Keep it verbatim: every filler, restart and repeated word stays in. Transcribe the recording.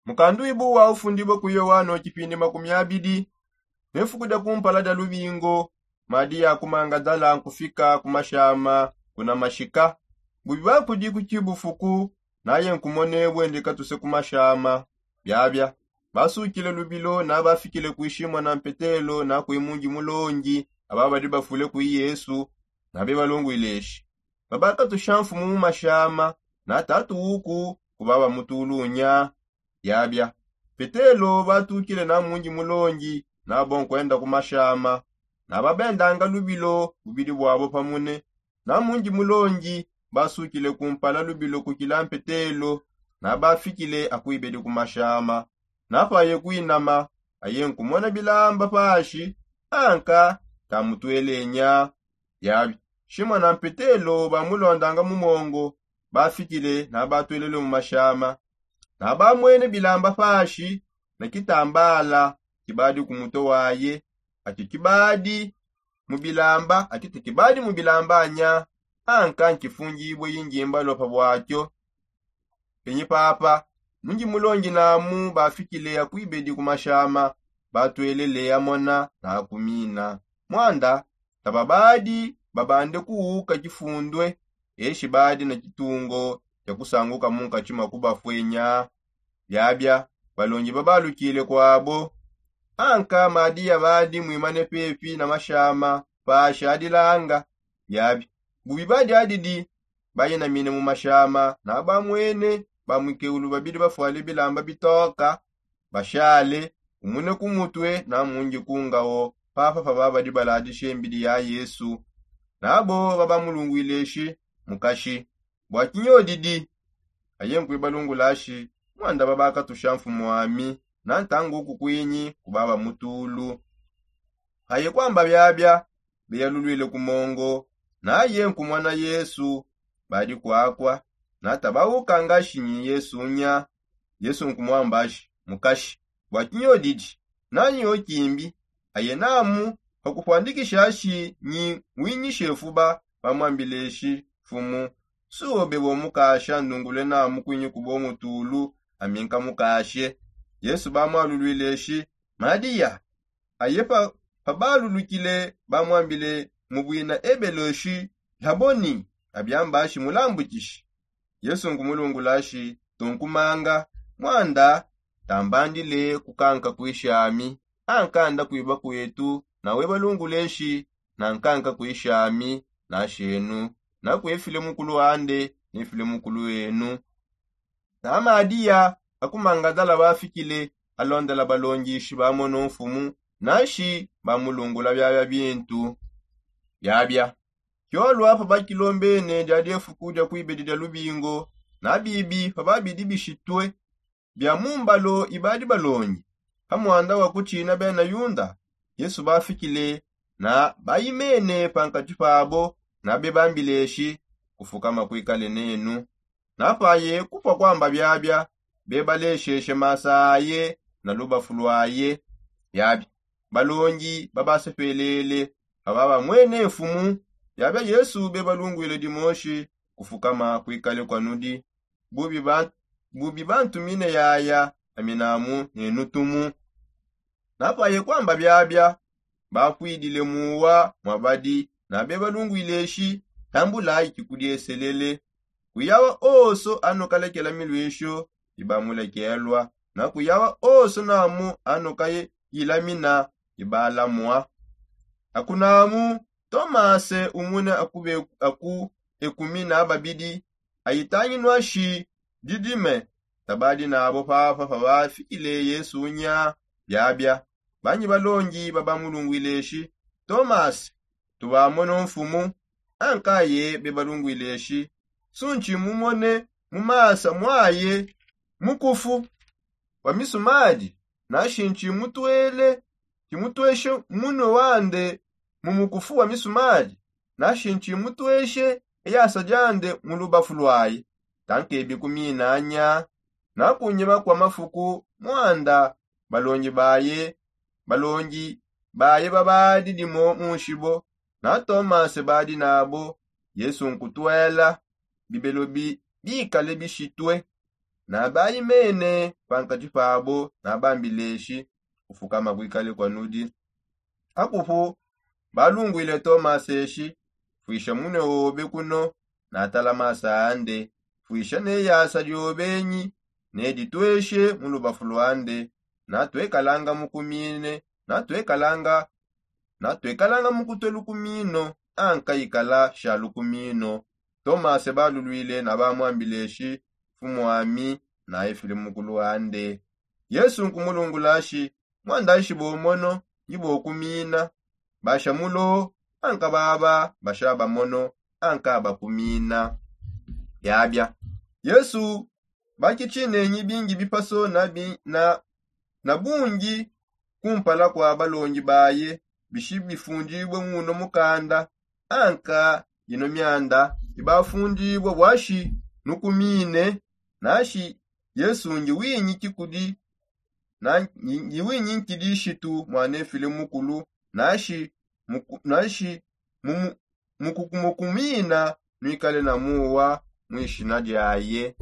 Mukanduibu wa ufundibue ku yoano kipindi makumi abidi. Ne fuku dia kumpala dia lubingo, madi ya kumangadala nkufika ku mashama kuna mashika. Bubi bakudi ku kibufuku, naye nkumone bwendika tuse ku mashama. Biabia basukile lubilo na bafikile kwi shimona mpetelo na kwi mungi mulongi, aba badi bafule kwi yesu. Na bebalungwile eshi, babakatusha mfumu mu mashama, na tatu uku kuba bamutulunya. Biabia petelo batukile na mungi mulongi, nabo nkwenda ku mashama. Na babendanga lubilo bubidi bwabo pamune. Na mungi mulongi basukile kumpala lubilo kukila mpetelo. Na bafikile akwibedi ku mashama. Na paye kwinama, aye nkumona bilamba pashi, anka tamutwelenya. Biabi shimona mpetelo bamulondanga mu mongo. Bafikile na batwelele mu mashama. Na bamwene bilamba pashi na kitambala kibadi ku muto waye. Ati kibadi mu bilamba ati te kibadi mu bilamba anya. Anka nkifungibue yingimba lopa bwakio. Penyi papa, mungi mulongi namu bafikile akwibedi ku mashama. Batwelele amona na akumina. Mwanda taba badi babande kuuka kifundue. Eshi badi na kitungo kia kusanguka munkatshi mua kubafwenya. Biabia balongi babalukile kwabo. Anka madiya badi mwimane pepi na mashama pashi adilanga. Biabi bubi badi adidi, bayinamine mu mashama na bamwene bamwikeulu babidi bafwale bilamba bitoka. Bashale umune ku mutwe na mungi ku ngawo. Papa pababadi baladishe mbidi ya yesu. Nabo babamulungwile eshi, mukashi, bwa kinyodidi? Aye nkwibalungula ashi, mwanda babakatusha mfumu ami, na ntangu uku kwinyi kubaba mutulu. Aye kwamba biabia, beyalulwile ku mongo. Naye nkumona yesu badi kwakwa. Na tabaukangashi nyi yesu nya. Yesu nkumwambashi, mukashi, bwa kinyodidi? Nanyi okimbi? Aye namu, pakupwandikishashi nyi winyishe fuba. Bamwambileshi, mfumu, suobe bomukasha ndungule namu kwinyi kubo mutulu. Aminka mukashe. Yesu bamwalulwileshi, madiya. Aye pabalulukile bamwambile mu bwina ebeloshi, laboni. Abiambashi mulambukishi. Yesu nkumulungulashi, tunkumanga, mwanda tambandile kukanka kwishami. Ankanda kwiba kwetu nawe balunguleshi, na nkanka kwishami nashenu. Nakwefile mukulu ande nefile mukulu enu. Na madiya akumangadala bafikile, alondela balongishi bamono mfumu, nashi bamulungula biabia bintu. Biabia kiolwa pabakilombene dia diefuku dia kwibedi dia lubingo, na bibi pababidi bishitue bia mumbalo ibadi balongi pa mwanda wa kutshina bena yunda. Yesu bafikile na bayimene pankati pabo, na bebambileshi, kufukama kwikale nenu. Na paye kupua kwamba biabia, bebalesheshe masa aye na lubafu lwaye. Biabia balongi babasepelele pababamwene mfumu. Biabia yesu bebalungwile dimoshi, kufukama kwikale kwa nudi. Bubi bantumine yaya, aminamu nenutumu. Na paye kwamba biabia, bakwidile muwa mwabadi na bebalungwileshi, tambulayi kikudieselele. Kuyawa oso anukalekela milwisho ibamulekelwa, na kuyawa oso namu anukayilamina ibalamwa. Akunamu tomase umune aku ekumi na babidi, ayitanginwa shi didime. Tabadi nabo papa pabafikile yesu nya. Biabia banyi balongi babamulungwileshi, tomase, tubamono mfumu. Ankaye bebalungwileshi, suntshi mumone mu masa mwaye mukufu wa misumadi? Nashi ntshimutwele tshimutweshe munwe wande mu mukufu wa misumadi? Nashi ntshimutweshe eyasa diande mu lubafu lwaye? Tankebi kuminanya. Na kunyima kwa mafuku mwanda balongi baye balongi baye babadi dimo munshibo, na tomase badi nabo. Yesu nkutwela bibelo bikale bishitue. Nabayi mene pankati pabo nabambileshi, kufukama kwikale kwanudi. Akupu balungwile tomase eshi, fwisha mune obe kuno natala masa ande, fwisha ne yasa diobenyi neditweshe mu lubafu lwande. Natwekalanga mukumine natwekalanga natwekalanga mukutwe lukumino, anka ikala sha lukumino. Tomase balulwile nabamwambileshi, fumwami naye fili mukulu ande. Yesu nkumulungulashi, mwandashi bomono nyibokumina. Basha mulo anka baba basha bamono anka bakumina. Byabya yesu bakichinenyi bingi bipaso na bungi kumpala kwa balongi baye bishi bifundibwe muno mukanda. Anka yino myanda ibafundibwe bwashi nukumine nashi yesu ngiwinyi kikudi ngiwinyi nkidi shitu mwanefile mukulu nashi nashi mukumukumina nwikale na muwa mwishina dyaye.